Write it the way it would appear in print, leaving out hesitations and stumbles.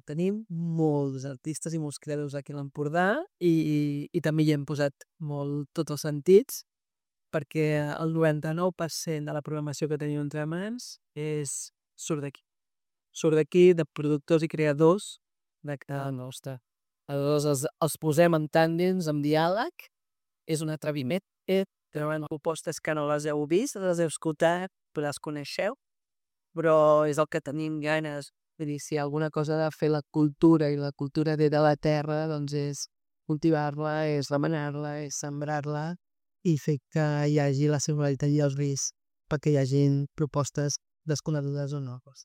Tenim molts artistes i molts creadors aquí a l'Empordà i també hi hem posat molt tots els sentits perquè el 99% de la programació que tenim entre mans surt d'aquí. Surt d'aquí, de productors i creadors de casa nostra. Aleshores els posem en tàndems, en diàleg, és un atreviment. Treuen propostes que no les heu vist, les heu escoltat, però les coneixeu, però és el que tenim ganes. Vull dir, si hi ha alguna cosa de fer la cultura i la cultura ve de la terra, doncs és cultivar-la, és remenar-la, és sembrar-la i fer que hi hagi la singularitat i els riscs perquè hi hagin propostes desconegudes o noves.